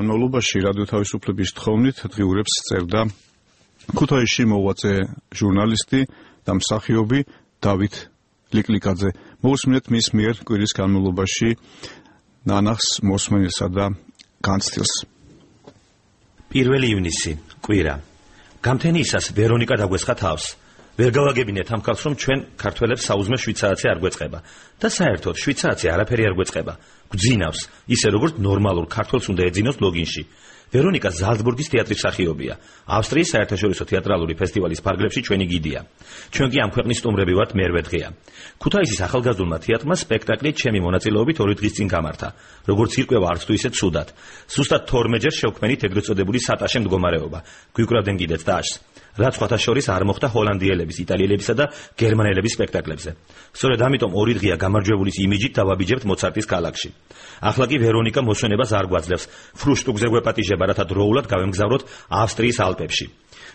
განმავლობაში რადიო თავისუფლების თხოვნით დღიურებს წერდა ქუთაისში მოღვაწე ჟურნალისტი და მსახიობი დავით ლიკლიკაძე. მოусმინეთ მის მიერ კვირის განმავლობაში ნანახს, მოსმენილსა და განცდილს. 1 ივნისი, კვირა. გამთენიისას ვერონიკა დაგვესხა თავს. ვერ გავაგებინეთ ამ ხალხს, რომ ჩვენ ქართველებს საუზმე შვიცარაცი არ გვეწყება და საერთოდ შვიცარაცი არაფერი არ გვეწყება. გვძინავს, ისე როგორც ნორმალურ ქართველს უნდა ეძინოს ლოგინში. ვერონიკა ზალცბურგის თეატრის მსახიობია. ავსტრიის საერთაშორისო თეატრალური ფესტივალის ფარგლებში ჩვენი გიდია. ჩვენ კი ამ ქვეყნის სტუმრები ვართ მერვე დღეა. ქუთაისის ახალგაზრდულმა თეატრმა სპექტაკლი ჩემი მონაწილეობით 2 დღის წინ გამართა. როგორც ირკვევა, არც თუ ისე ცუდად. ზუსტად 12-ჯერ შევქმნით ეგრეთ წოდებული სატაშე მდგომარეობა. გვიკრავდნენ კიდეც დააშს. რაც სხვათა შორის არ მოხდა ჰოლანდიელების, იტალიელებისა და გერმანელების სპექტაკლებზე. სწორედ ამიტომ 2 დღეა გამარჯვებულის იმიჯით დავაბიჯებთ მოცარტის ქალაქში. ახლა კი ვერონიკა მოსვენებას არ გვაძლევს. ფრუშტუგზე გვეპატიჟება, რათა დროულად გავემგზავროთ ავსტრიის ალპებში.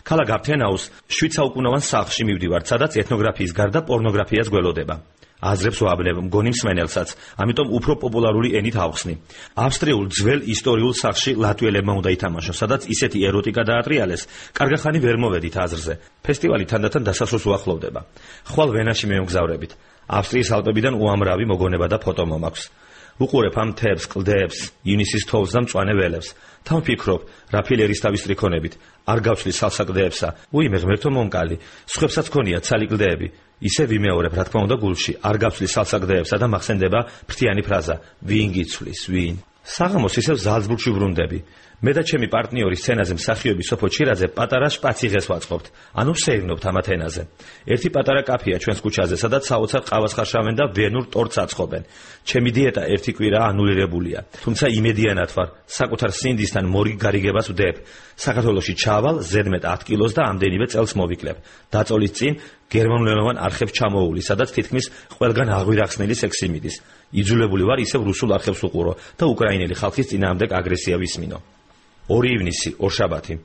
ქალაქ აფთენაუს 7 საუკუნოვან სახლში მივდივართ, სადაც ეთნოგრაფიის გარდა პორნოგრაფიაც გველოდება. აზრებს ვაბნევ, მგონი მსმენელსაც, ამიტომ უფრო პოპულარული ენით ავხსნი. ავსტრიულ ძველ ისტორიულ სახლში ლატვიელებმა უნდა ითამაშოს, სადაც ისეთი ეროტიკა დაატრიალეს, კარგახანი ვერ მოვედით აზრზე. ფესტივალი თანდათან დასასრულს უახლოვდება. ხვალ ვენაში მივმგზავრებით. ავსტრიის ალპებიდან უამრავი მოგონება და ფოტო მომაქვს. უყურებ ამ მთებს, კლდეებს, ივნისის თოვლს და მწვანე ველებს. თან ვფიქრობ, რა ფილერის თავის ტრიქონებით, არ გავშლი სალსაკლდეებსა. უიმე ღმერთო მომკალი, სხვებსაც ქონია ცალი კლდეები. ისე ვიმეორებ, რა თქმა უნდა, გულში, არ გავშლი სალსაკლდეებსა და მახსენდება ფრთიანი ფრაზა, ვინ გიცვლის, ვინ. საღამოს ისევ ზალცბურგში ვრუნდები. მე და ჩემი პარტნიორი სცენაზე მსახიობი სოფო ჩირაძე პატარა შპაციღეს ვაწყობთ, ანუ ვსეირნობთ ამ ათენაზე. ერთი პატარა კაფეა ჩვენს ქუჩაზე, სადაც საოცარ ყავას ხარშავენ და ვენურ ტორტს აწყობენ. ჩემი დიეტა 1 კვირა ანულირებულია, თუმცა იმედიანად ვარ, საკუთარ სინდისთან მორიგ გარიგებას ვდებ. საქართველოში ჩავალ, ზედმეტ 10 კილოს და ამდენივე წელს მოვიკლებ. დაწოლის წინ გერმანულენოვან არხებს ჩამოუვლის, სადაც თითქმის ყველგან აღვირახსნილი სექსი მიდის. იძულებული ვარ ისევ რუსულ არხებს უყურო და უკრაინელი ხალხის წინააღმდეგ აგრესია ვისმინო. 2 ივნისი, ორშაბათი.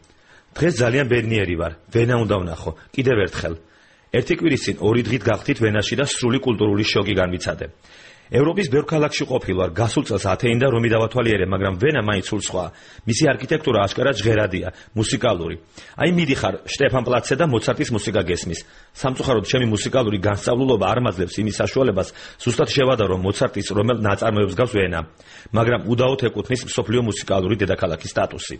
დღეს ძალიან ბედნიერი ვარ, ვენა უნდა ვნახო, კიდევ ერთხელ. 1 კვირის წინ 2 დღით გავხდით ვენაში და სრული კულტურული შოკი განვიცადე. ევროპის ბევრ ქალაქში ყოფილვარ, გასულ წელს ათენი და რომი დავათვალიერე, მაგრამ ვენა მაინც სულ სხვა. მისი არქიტექტურა აშკარად ჟღერადია, მუსიკალური. აი მიდიხარ შტეფანპლაცზე და მოცარტის მუსიკა გესმის. სამწუხაროდ ჩემი მუსიკალური განსწავლულობა არ მაძლევს იმის საშუალებას, ზუსტად შევადარო მოცარტის რომელ ნაწარმოებს გავს ვენა, მაგრამ უდაოდ ეკუთვნის მსოფლიო მუსიკალური დედაქალაქის სტატუსი.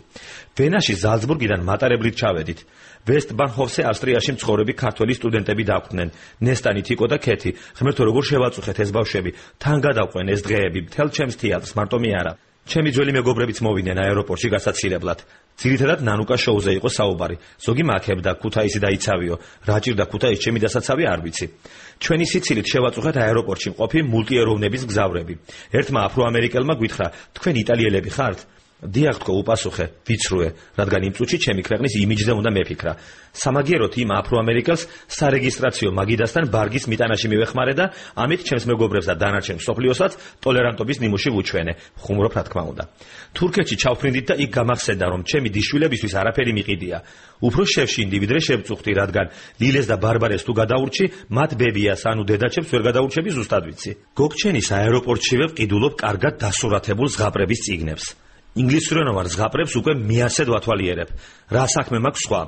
ვენაში ზალცბურგიდან მატარებლით ჩავედით. ვესტბანჰოფზე ავსტრიაში მცხოვრები ქართველი სტუდენტები დაგვდნენ, ნესტანი, თიკო და ქეთი. ღმერთო, როგორ შევაწუხეთ ეს ბავშვები, თან გადავყვენ ეს დღეები, მთელ ჩემს თეატრს, მარტო მე არა. ჩემი ძველი მეგობრებიც მოვიდნენ აეროპორტში გასაცილებლად. ძირითადად ნანუკა შოუზე იყო საუბარი. ზოგი მაქებდა, ქუთაისი დაიცავიო. რა ჭირდა ქუთაისში ჩემი დასაცავი არ ვიცი. ჩვენი სიცილით შევაწუხეთ აეროპორტში მყოფი მულტიეროვნების მგზავრები. ერთმა აფროამერიკელმა გვითხრა, თქვენ იტალიელები ხართ? დიახ, თქო, უპასუხე, ვიცრუე, რადგან იმ წუთში ჩემი ქვეყნის იმიჯზე უნდა მეფიქრა. სამაგიეროდ იმ აფროამერიკელს სარეგისტრაციო მაგიდასთან ბარგის მიტანაში მივეხმარე და ამით ჩემს მეგობრებს და დანარჩენ მსოფლიოსაც ტოლერანტობის ნიმუში ვუჩვენე. ხუმრობ, რა თქმა უნდა. თურქეთში ჩავფრინდით და იქ გამახსენდა, რომ ჩემი დიშვილებისთვის არაფერი მიყიდია. უფრო შევშინდი, ვიდრე შევწუხდი, რადგან ლილეს და ბარბარეს თუ გადაურჩი, მათ ბებიას, ანუ დედაჩემს ვერ გადაურჩები ზუსტად ვიცი. გოგჩენის აეროპორტშივე ვყიდულობ კარგად დასურათებულ ზღაპრების წიგნებს. ინგლისურენოვან ზღაპრებს უკვე მეასედ ვათვალიერებ. რა საქმე მაქვს სხვა?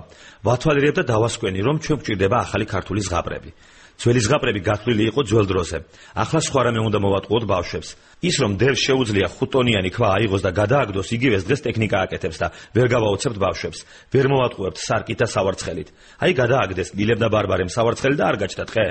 ვათვალიერებ და დავასკვენი, რომ ჩვენ გვჭირდება ახალი ქართული ზღაპრები. ძველი ზღაპრები გათვლილი იყო ძველ დროზე. ახლა სხვა რამე უნდა მოვატყუოთ ბავშვებს. ის რომ დევს შეუძლია 5 ტონიანი ქვა აიღოს და გადააგდოს, იგივეს დღეს ტექნიკა აკეთებს და ვერ გავაოცებთ ბავშვებს. ვერ მოვატყუებთ სარკით და სავარცხელით. აი გადააგდეს ლილებ და ბარბარემ სავარცხელი და არ გაჩნდა ტყე.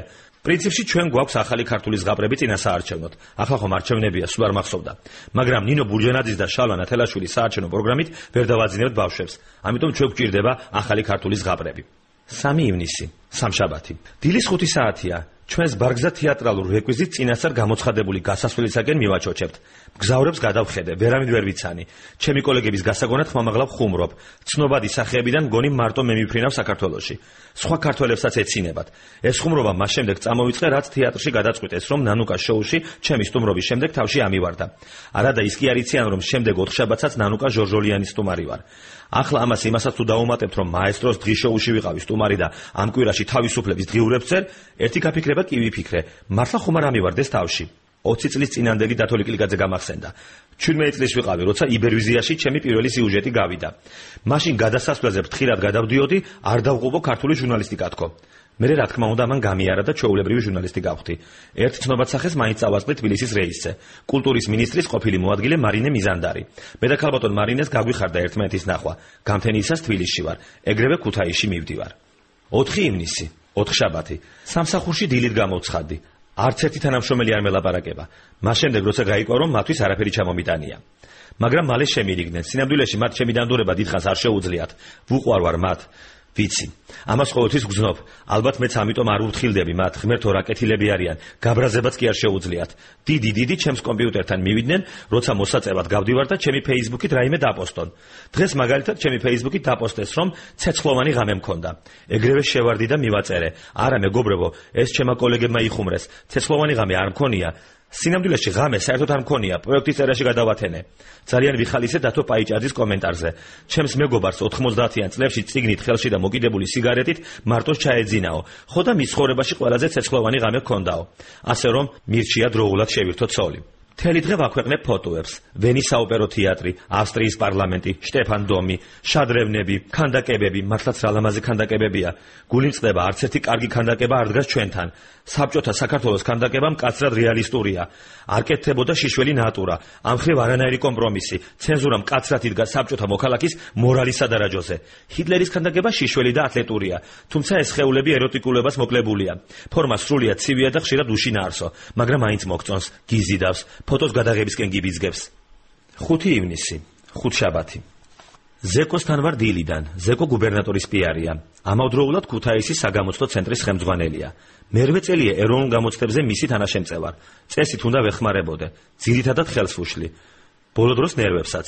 პრინციპში ჩვენ გვაქვს ახალი ქართული ზღაპრები წინასაარჩევნოდ. ახლა ხომ არჩევნებია, სულ არ მახსოვდა. მაგრამ ნინო ბურჯანაძის და შალვა ნათელაშვილის საარჩევნო პროგრამით ვერ დავაძინებთ ბავშვებს. ამიტომ ჩვენ გვჭირდება ახალი ქართული ზღაპრები. 3 ივნისი, სამშაბათი. დილის 5 საათია. ჩვენს ბარგზა თეატრალურ რეკვიზიტ წინასწარ გამოცხადებული გასასვლელისაკენ მივაჩოჩებთ. მგზავრებს გადავხედე, ვერავინ ვერ ვიცანი. ჩემი კოლეგების გასაგონად ხმამაღლა ვხუმრობ. ცნობადი სახეებიდან მგონი მარტო მე მიფრინავ საქართველოში. სხვა ქართველებსაც ეცინებათ. ეს ხუმრობა მას შემდეგ წამოვიწყე, რაც თეატრში გადაწყვიტეს, რომ ნანუკა შოუში ჩემი სტუმრობის შემდეგ თავში ამივარდა. არადა ის კი არ იციან, რომ შემდეგ 4 შაბათსაც ნანუკა ჟორჟოლიანის სტუმარი ვარ. ახლა ამას იმასაც თუ დავუმატებთ, რომ მაესტროს დღის შოუში ვიყავი სტუმარი და ამ კვირაში თავისუფლების დღიურებს წერ, ერთი გაფიქრება კი ვიფიქრე, მართლა ხომ არ ამივარდეს თავში. 20 წლის წინანდელი დათო ლიკლიკაძე გამახსენდა. 17 წლის ვიყავი, როცა იბერვიზიაში ჩემი პირველი სიუჟეტი გავიდა. მაშინ გადასასვლელზე ფრთხილად გადავდიოდი, არ დავყუბო ქართული ჟურნალისტიკა თქო. მე რა თქმა უნდა მან გამიარა და ჩვეულებრივი ჟურნალისტი გავხდი. ერთ ცნობაცახეს მაინც წავასწრე თბილისის რეისზე. კულტურის მინისტრის ყოფილი მოადგილე მარინე მიზანდარი. მე და ქალბატონ მარინეს გაგვიხარდა ერთმანეთის ნახვა. გამთენიისას თბილისში ვარ, ეგრევე ქუთაისში მივდივარ. 4 ივნისი, 4 შაბათი. სამსახურში დილით გამოვცხადდი. არც ერთი თანამშრომელი არ მელაპარაკება. მას შემდეგ როცა გაიგო რომ მათთვის არაფერი ჩამომიტანია. მაგრამ მალე შემირიგნენ. სინამდვილეში მათ ჩემი დანდორება დიდხანს არ შეუძლიათ. ვუყვარვარ მათ. ვიცი. ამას ყოველთვის გძნობ. ალბათ მეც ამიტომ არ ვუთხილდები მათ, ღმერთო რა კეთილები არიან, გაბრაზებაც კი არ შეუძლიათ. დიდი ჩემს კომპიუტერთან მივიდნენ, როცა მოსაწევად გავდივარ და ჩემი Facebook-ით რაიმე დაპოსტონ. დღეს მაგალითად ჩემი Facebook-ით დაპოსტეს, რომ ცეცხლოვანი ღამე მქონდა. ეგრევე შევარდი და მივაწერე. არა მეგობრებო, ეს ჩემმა კოლეგებმა იხუმრეს. ცეცხლოვანი ღამე არ მქონია. სინამდვილეში ღამე საერთოდ არ მქონია, პროექტის წერაში გადავათენე. ძალიან ვიხალისე დათო პაიჭაძის კომენტარზე. ჩემს მეგობარს 90-იან წლებში წიგნით ხელში და მოკიდებული სიგარეტით მარტოს ჩაეძინაო. ხო და მის ცხოვრებაში ყველაზე ცეცხლოვანი ღამე ჰქონდაო. ასე რომ მირჩია დროულად შევირთო ცოლი. მთელი დღე ვაქვეყნებ ფოტოებს. ვენის საოპერო თეატრი, ავსტრიის პარლამენტი, შტეფან დომი, შადრევნები, ქანდაკებები, მართლაც რა ლამაზი ქანდაკებებია. გული მწყდება, არც ერთი კარგი ქანდაკება არ დგას ჩვენთან. საბჭოთა საქართველოს ქანდაკება მკაცრად რეალისტურია. არ კეთდებოდა შიშველი ნატურა. ამ ხრივ არანაირი კომპრომისი. ცენზურა მკაცრად იდგა საბჭოთა მოქალაქის მორალის სადარაჯოზე. ჰიტლერის ქანდაკება შიშველი და ათლეტურია. თუმცა ეს სხეულები ეროტიკულებას მოკლებულია. ფორმა სრულიად ცივია და ხშირად უშინაარსო, მაგრამ მაინც მოგწონს, გიზიდავს. ფოტოს გადაღებისკენ გიბიძგებს. 5 ივნისი, 5 შაბათი. ზეკოსთან ვარ დილიდან. ზეკო გუბერნატორის პიარია. ამავდროულად ქუთაისის საგამოცდო ცენტრის ხელმძღვანელია. მერვე წელია ეროვნულ გამოცდებზე მისი თანაშემწევარ. წესით უნდა ვეხმარებოდე. ძირითადად ხელს ვუშლი. ბოლო დროს ნერვებსაც.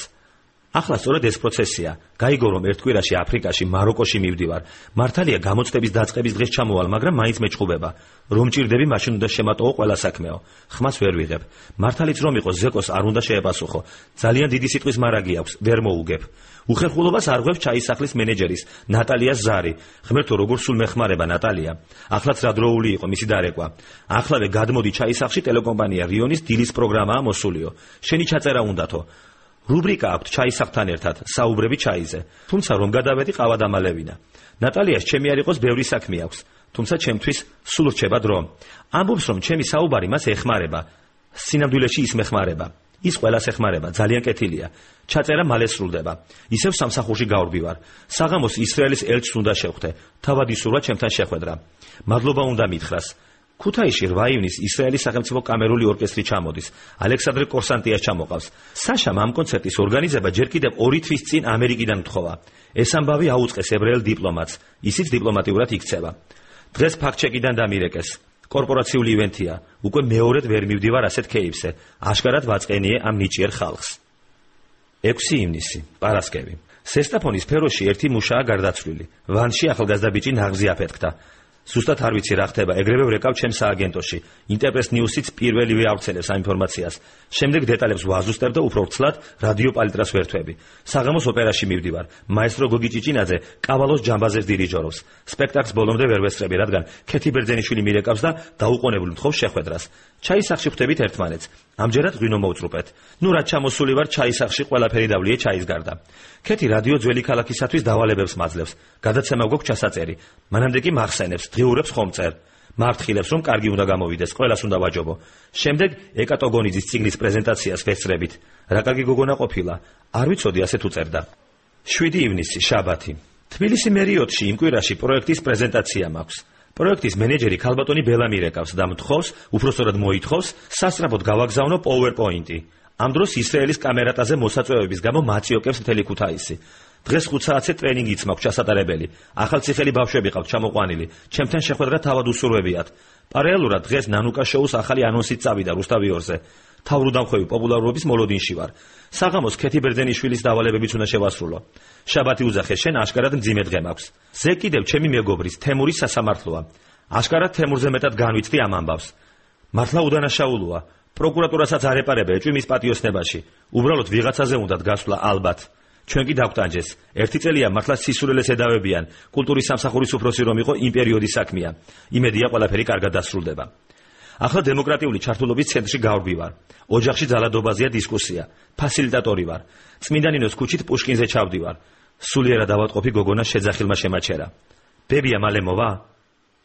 ახლა სწორედ ეს პროცესია. გაიგო რომ ერთ კვირაში აფრიკაში, მაროკოში მივდივარ. მართალია გამოცდების დაწყების დღეს ჩამოვალ, მაგრამ მაინც მეჭხუბება. რომ ჭირდები, მაშინ უნდა შემატოვო ყველა საქმეო. ხმას ვერ ვიღებ. მართალიც რომ იყოს ზეკოს არ უნდა შეეპასუხო. ძალიან დიდი სიტყვის მარაგი აქვს, ვერ მოუგებ. უხერხულობას არღვევს ჩაისახლის მენეჯერის, ნატალიას ზარი. ღმერთო როგორ სულ მეხმარება ნატალია. ახლაც რა დროული იყო მისი დარეკვა. ახლავე გადმოდი ჩაისახში ტელეკომპანია რიონის დილის პროგრამაა მოსულიო. შენი ჩაწერა უნდათო. რუბრიკა აქვს ჩაისახთან ერთად, საუბრები ჩაიზე. თუმცა რომ გადავედი ყავა დამალევინა. ნატალიას ჩემი არ იყოს ბევრი საქმე აქვს, თუმცა ჩემთვის სულ რჩება დრო. ამბობს რომ ჩემი საუბარი მას ეხმარება. სინამდვილეში ის მეხმარება. ის ყველას ეხმარება, ძალიან კეთილია. ჩაწერა მალე სრულდება. ისევ სამსახურში გავრბივარ. საღამოს ისრაელის ელჩს უნდა შევხვდე. თავად ისურვა ჩემთან შეხვედრა. მადლობა უნდა მითხრას. ქუთაისში 8 ივნისს ისრაელის სახელმწიფო კამერული ორკესტრი ჩამოდის. ალექსანდრე კორსანტიას ჩამოყავს. საშამ ამ კონცერტის ორგანიზება ჯერ კიდევ 2 თვის წინ ამერიკიდან მთხოვა. ეს ამბავი აუწყეს ებრაელ დიპლომატს. ისიც დიპლომატიურად იქცევა. დღეს ფაქტ-ჩეკიდან დამირეკეს. კორპორაციული ივენთია. უკვე მეორედ ვერ მივდივარ ასეთ კეიფზე. აშკარად ვაწყენიე ამ ნიჭიერ ხალხს. 6 ივნისი, პარასკევი. სესტაფონის სფეროში ერთი მუშაა გარდაცვლილი. ვანში ახალგაზრდა ბიჭი ნაღზი აფეთქდა. ზუსტად არ ვიცი რა ხდება, ეგრევე ვრეკავ ჩემს სააგენტოში. ინტერპრეს ნიუსიც პირველივე ავრცელებს ამ ინფორმაციას. შემდეგ დეტალებს ვაზუსტებ და უფრო ვრცლად რადიო პალიტრას ვერთვები. საღამოს ოპერაში მივდივარ. მაესტრო გოგი ჭიჭინაძე კავალოს ჯამბაზებს დირიჟორობს. სპექტაკლს ბოლომდე ვერ ვესწრები, რადგან ქეთი ბერძენიშვილი მირეკავს და დაუყოვნებლივ მთხოვს შეხვედრას. ჩაისახში ხვდებით ერთმანეთს. ამჯერად ღვინო მოვწრუპეთ. ნუ რაც ჩამოსული ვარ ჩაისახში ყველაფერი დავლიე ჩაის გარდა. ქეთი რადიო ძველი ქალაქისათვის დავალებებს მაძლევს. გადაცემა გვაქვს ჩასაწერი. მანამდე კი მახსენებს, დღიურებს ხომწერ. მართხილებს რომ კარგი უნდა გამოვიდეს, ყველას უნდა ვაჯობო. შემდეგ ეკატოგონიძის წიგნის პრეზენტაციას ვესწრებით. რა კარგი გოგონა ყოფილა. არ ვიცოდი ასეთ უწერდა. 7 ივნისი, შაბათი. თბილისი მერიოტში იმ კვირაში პროექტის პრეზენტაცია მაქვს. პროექტის მენეჯერი ქალბატონი ბელა მირეკავს და მთხოვს, უბრალოდ მოითხოვს, სასწრაფოდ გავაგზავნო PowerPoint-ი. ამ დროს ისრაელის კამერატაზე მოსაწვევების გამო მაწიოკებს მთელი ქუთაისი. დღეს 5 საათზე ტრენინგიც მაქვს ჩასატარებელი. ახალციხელი ბავშვები ყავთ ჩამოყვანილი. ჩემთან შეხვედრა თავად უსურვებიათ. პარალელურად დღეს ნანუკა შოუს ახალი ანონსით წავიდა რუსთავიორზე. თავრუდამხვევი პოპულარობის მოლოდინში ვარ. საღამოს ქეთი ბერძენიშვილის დავალებებიც უნდა შევასრულო. შაბათი უძახე, შენ აშკარად მძიმე დღე მაქვს. ზე კიდევ ჩემი მეგობრის თემურის სასამართლოა. აშკარად თემურზე მეტად განვიცდი ამ ამბავს. მართლა უდანაშაულოა. პროკურატურასაც არ ეპარება ეჭვი მის პატიოსნებაში. უბრალოდ ვიღაცაზე უნდათ გასვლა ალბათ. ჩვენ კი დავტანჯეს. ერთი წელია მართლა სისულელეს ედავებიან. კულტურის სამსახურის უფროსი რომ იყო იმ პერიოდის საქმეა. იმედია ყველაფერი კარგად დასრულდება. ახლა დემოკრატიული ჩართულობის ცენტრში გავდივარ. ოჯახში ძალადობაზეა დისკუსია. ფასილიტატორი ვარ. წმინდა ნინოს ქუჩით პუშკინზე ჩავდივარ. სულიერად ავადმყოფი გოგონას შეძახილმა შემაჩერა. ბებია მალე მოვა?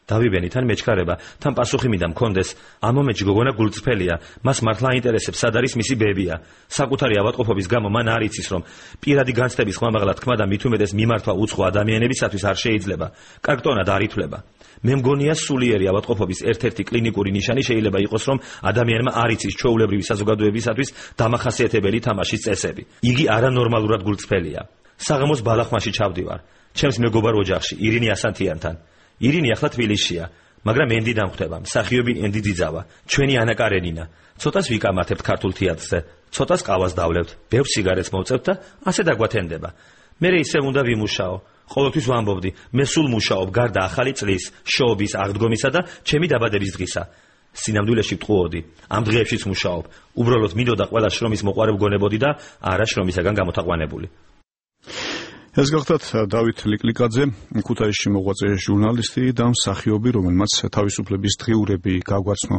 დავიბენი თან მეჩქარება, თან პასუხი მინდა მქონდეს. ამ მომენტში გოგონა გულწრფელია, მას მართლა აინტერესებს, სად არის მისი ბებია. საკუთარი ავადმყოფობის გამო მან არ იცის, რომ პირადი განცდების ხმამაღლა თქმა და მით უმეტეს მიმართვა უცხო ადამიანებისათვის არ შეიძლება. კარგტონად არ ითვლება. მე მგონია სულიერი ავადმყოფობის ერთ-ერთი კლინიკური ნიშანი შეიძლება იყოს, რომ ადამიანმა არ იცის ჩვეულებრივი საზოგადოებისათვის დამახასიათებელი თამაშის წესები. იგი არანორმალურად გულწრფელია. საღამოს ბალახმაში ჩავდივარ. ჩემს მეგობარ ოჯახში, ირინი ასანთიანთან. ირინი ახლა თბილისშია, მაგრამ ენდი დამხვდება, მსახიობი ენდი ძიძავა, ჩვენი ანა კარენინა. ცოტას ვიკამათებთ ქართულ თეატრზე, ცოტას ყავას დავლევთ, ბევრ სიგარეტს მოვწევთ და ასე დაგვათენდება. მე ისევ უნდა ვიმუშაო. ყოველთვის ვამბობდი, მე სულ მუშაობ გარდა ახალი წლის, შოუების აღდგომისა და ჩემი დაბადების დღისა. სინამდვილეში ვტყუოდი, ამ დღეებშიც მუშაობ. უბრალოდ მინდოდა ყველა შრომის მოყვარე ვგონებოდი და არა შრომისაგან გამოთაყვანებული. ეს გახლავთ დავით ლიკლიკაძე, ქუთაისში მოღვაწე ჟურნალისტი და მსახიობი, რომელმაც თავისუფლების დღიურები გაგვაცნო